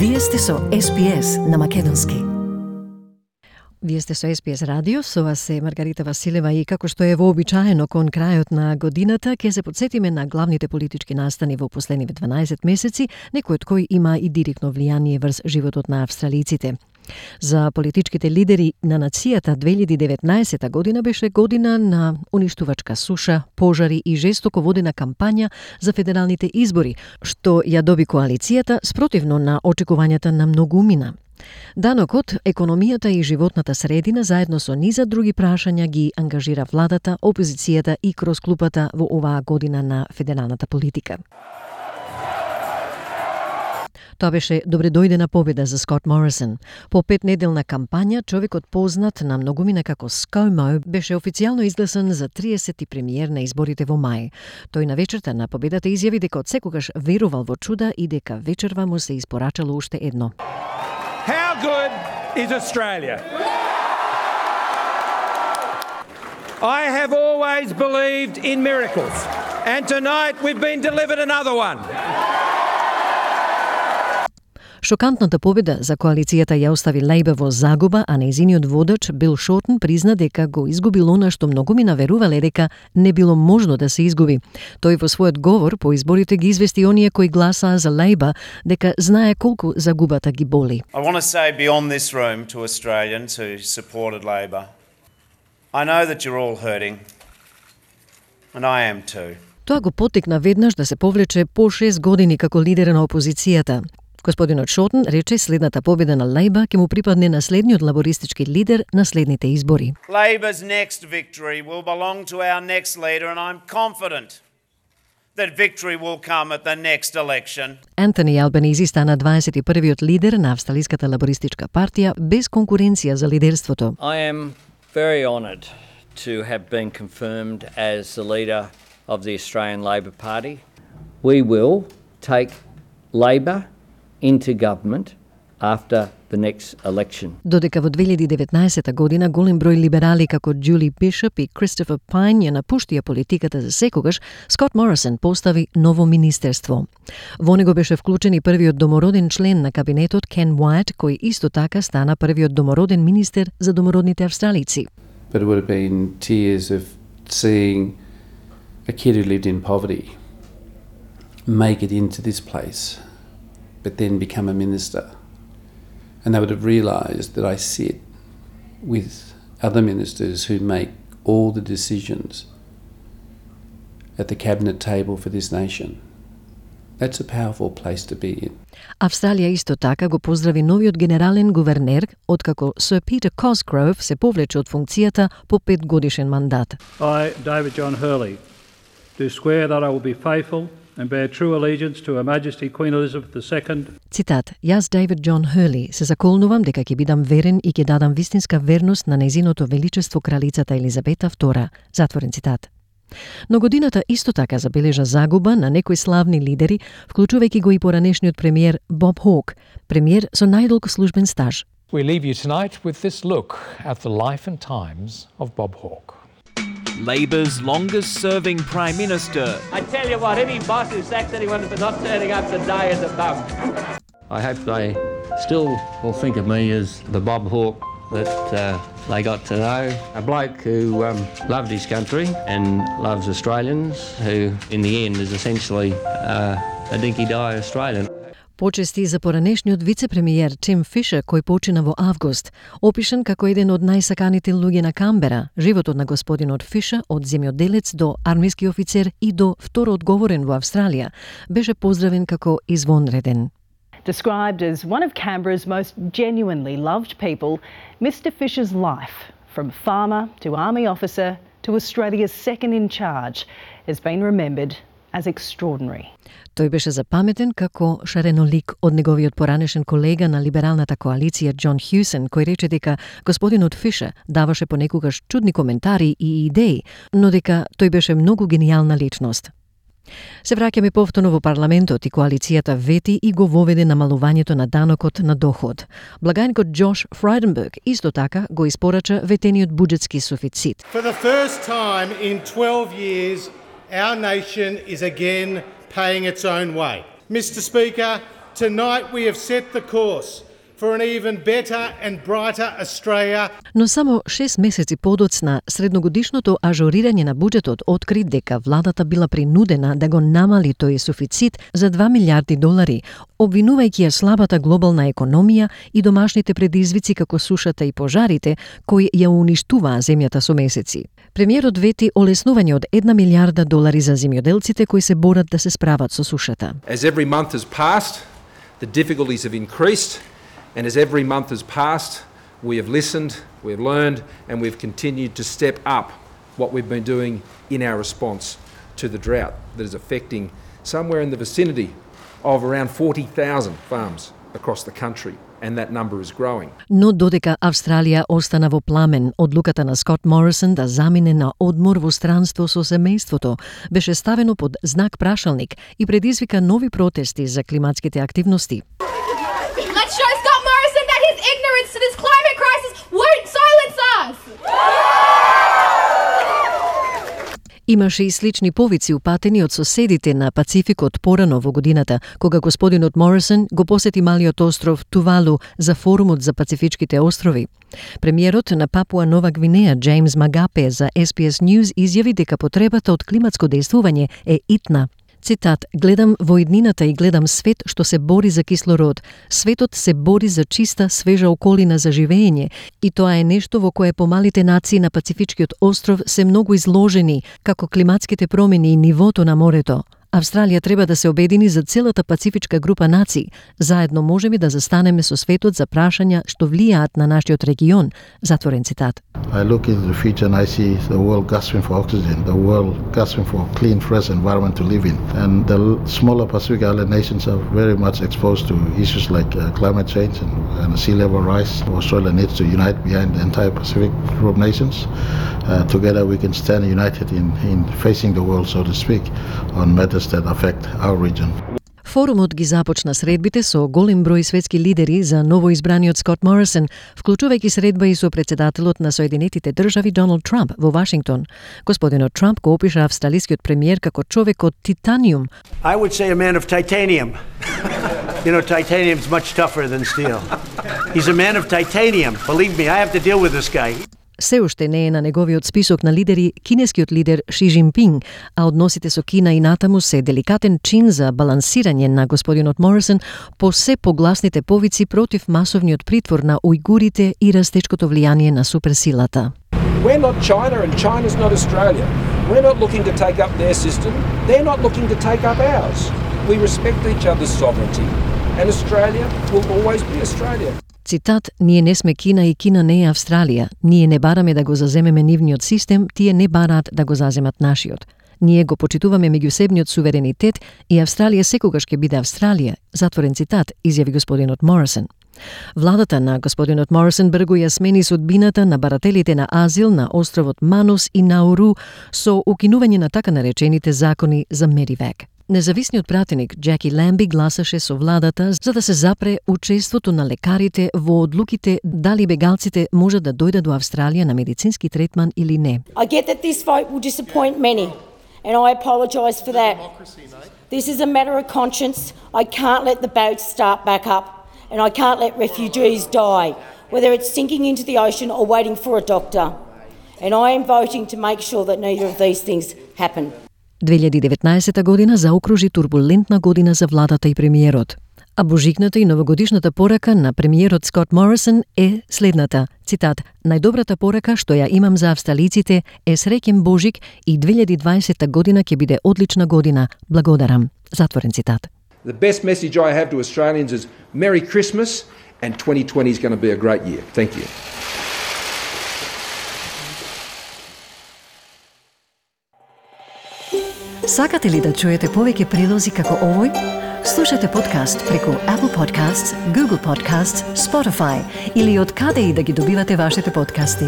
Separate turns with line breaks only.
Вие сте со SPS на македонски. Вие сте со SPS радио, со вас е Маргарита Василева и како што е вообичаено кон крајот на годината, ќе се потсетиме на главните политички настани во последниве 12 месеци, некој од кои има и директно влијание врз животот на австралиците. За политичките лидери на нацијата 2019 година беше година на уништувачка суша, пожари и жестоко водена кампања за федералните избори, што ја доби коалицијата спротивно на очекувањата на многумина. Данокот, економијата и животната средина заедно со низа други прашања ги ангажира владата, опозицијата и кросклупата во оваа година на федералната политика. Тоа беше добредојдена победа за Скот Морисон. По 5-неделна кампања, човекот познат на многумина како ScoMo беше официјално изгласан за 30-ти премиер на изборите во мај. Тој на вечерта на победата изјави дека од секогаш верувал во чуда и дека вечерва му се испорачало уште едно.
How good is Australia? I have always believed in miracles, and tonight we've been delivered another one.
Шокантната победа за коалицијата ја остави Лейбър во загуба, а нејзиниот водач Бил Шортон призна дека го изгубил она што многумина верувале дека не било можно да се изгуби. Тој во својот говор по изборите ги извести оние кои гласаа за Лейбър дека знае колку загубата ги боли.
I want to say beyond this room to Australians who supported Labor, I know that you're all hurting, and I am too.
Тоа го поттикна веднаш да се повлече по 6 години како лидер на опозицијата. Господинот Шортон рече следната победа на Лейбър ќе му припадне на следниот лабористички лидер на следните избори.
Labor's next victory will belong to our next leader, and I'm confident that victory will come at the next election.
Антони Албанизи стана 21-виот лидер на Австралиската лабористичка партија без конкуренција за лидерството.
I am very honoured to have been confirmed as the leader of the Australian Labor Party. We will take Labor into government after the next election.
Додека во 2019 година голем број либерали како Джули Бишоп и Кристофер Пайн ја напуштија политиката за секогаш, Скот Морисон постави ново министерство. Во него беше вклучен и првиот домороден член на кабинетот Ken Wyatt, кој исто така стана првиот домороден министер за домородните австралици.
But it would have been tears of seeing a kid who lived in poverty make it into this place, but then become a minister. And they would have realised that I sit with other ministers who make all the decisions at the cabinet table for this nation. That's a powerful place to be in.
Австралија исто така го поздрави новиот генерален гувернер, откако Сир Питер Cosgrove се повлече од функцијата по 5-годишен мандат.
I, David John Hurley, do swear that I will be faithful and bear true allegiance to Her Majesty Queen Elizabeth II.
Цитат: Јас, Дейвид Џон Хърли, се заколнувам дека ќе бидам верен и ќе дадам вистинска верност на нејзиното величество кралицата Елизабета II. Затворен цитат. Но годината исто така забележа загуба на некои славни лидери, вклучувајќи го и поранешниот премиер Боб Хок, премиер со најдолг службен стаж.
We leave you tonight with this look at the life and times of Bob Hawke.
Labor's longest-serving Prime Minister.
I tell you what, any boss who sacks anyone for not turning up today is a bum.
I hope they still will think of me as the Bob Hawke that they got to know. A bloke who loved his country and loves Australians, who in the end is essentially a dinky-die Australian.
Почести за поранешниот вице-премиер Тим Фишер, кој почина во август, опишан како еден од најсаканите луѓе на Камбера. Животот на господинот Фишер, од земјоделец до армиски офицер и до второ одговорен во Австралија, беше поздравен како извонреден.
Described as one of Canberra's most genuinely loved people, Mr Fisher's life, from farmer to army officer to Australia's second in charge, has been remembered as extraordinary.
Тој беше запаметен како шаренолик од неговиот поранешен колега на либералната коалиција Џон Хјусен, кој рече дека господинот Фишер даваше понекогаш чудни коментари и идеи, но дека тој беше многу генијална личност. Се враќаме повторно во парламентот и коалицијата вети и го воведе намалувањето на данокот на доход. Благајникот Џош Фрайденберг исто така го испорача ветениот буџетски суфицит.
For the first time in 12 years, our nation is again paying its own way. Mr Speaker, tonight we have set the course for an even better and brighter Australia.
Но само 6 месеци подоцна, средногодишното ажурирање на буџетот откри дека владата била принудена да го намали тој суфицит за $2 милиарди, обвинувајќи ја слабата глобална економија и домашните предизвици како сушата и пожарите, кои ја уништуваа земјата со месеци. Премиерот вети олеснување од $1 милиарда за земјоделците кои се борат да се справат со сушата.
As every month has passed, the difficulties have increased. And as every month has passed, we have listened, we have learned, and we've continued to step up what we've been doing in our response to the drought that is affecting somewhere in the vicinity of around 40,000 farms across the country, and that number is growing.
Но додека Австралија остана во пламен, одлуката на Скот Морисон да замине на одмор во странство со семејството беше ставено под знак прашалник и предизвика нови протести за климатските активности.
Let's show Scott Morrison that his ignorance to this climate crisis won't silence us!
Имаше и слични повици упатени од соседите на Пацификот порано во годината, кога господинот Морисон го посети малиот остров Тувалу за форумот за Пацифичките острови. Премиерот на Папуа Нова Гвинеја Джеймс Магапе за SBS News изјави дека потребата од климатско дејствување е итна. Цитат: "Гледам во иднината и гледам свет што се бори за кислород. Светот се бори за чиста, свежа околина за живење и тоа е нешто во кое помалите нации на Пацифичкиот остров се многу изложени, како климатските промени и нивото на морето. Австралија треба да се обедини за целата пацифичка група нации. Заедно можеме да застанеме со светот за прашања што влијаат на нашиот регион." Затворен цитат.
I look into the future and I see the world gasping for oxygen, the world gasping for clean, fresh environment to live in. And the smaller Pacific Island nations are very much exposed to issues like climate change and sea level rise. Australia needs to unite behind the entire Pacific group of nations. Together we can stand united in facing the world, so to speak, on matters that affect our region.
Форумот ги започна средбите со голем број светски лидери за новоизбраниот Скот Морисон, вклучувајќи средба и со председателот на Соединетите држави Доналд Трамп во Вашингтон. Господинот Трамп го опиша австралискиот премиер како човек од титаниум.
I would say a man of titanium. You know, titanium's much tougher than steel. He's a man of titanium. Believe me, I have to deal with this guy.
Се уште не е на неговиот список на лидери кинескиот лидер Ши Џинпинг, а односите со Кина и натаму се деликатен чин за балансирање на господинот Морисон по се погласните повици против масовниот притвор на ујгурите и растечкото влијание на суперсилата.
We're not China and China's not Australia. We're not looking to take up their system. They're not looking to take up ours. We respect each other's sovereignty, and Australia will always be Australia.
Цитат: "Ние не сме Кина и Кина не е Австралија. Ние не бараме да го заземеме нивниот систем, тие не бараат да го заземат нашиот. Ние го почитуваме меѓусебниот суверенитет и Австралија секогаш ќе биде Австралија." Затворен цитат, изјави господинот Морисон. Владата на господинот Морисон бргу ја смени судбината на барателите на азил на островот Манус и Науру со укинување на така наречените закони за Медивек. Независниот пратеник Джеки Ламби гласаше со владата за да се запре учеството на лекарите во одлуките дали бегалците можат да дојдат до Австралија на медицински третман или не.
I get that this vote will disappoint many, and I apologise for that. This is a matter of conscience. I can't let the boats start back up, and I can't let refugees die, whether it's sinking into the ocean or waiting for a doctor. And I am voting to make sure that neither of these things happen.
2019 година заокружи турбулентна година за владата и премиерот. А божикната и новогодишната порака на премиерот Скот Морисон е следната. Цитат: "Најдобрата порака што ја имам за австралиците е среќен Божик и 2020 година ќе биде одлична година. Благодарам." Затворен цитат.
The best message I have to Australians is Merry Christmas and 2020 is going to be a great year. Thank you.
Сакате ли да чуете повеќе прилози како овој? Слушате подкаст преку Apple Podcasts, Google Podcasts, Spotify или од каде и да ги добивате вашите подкасти.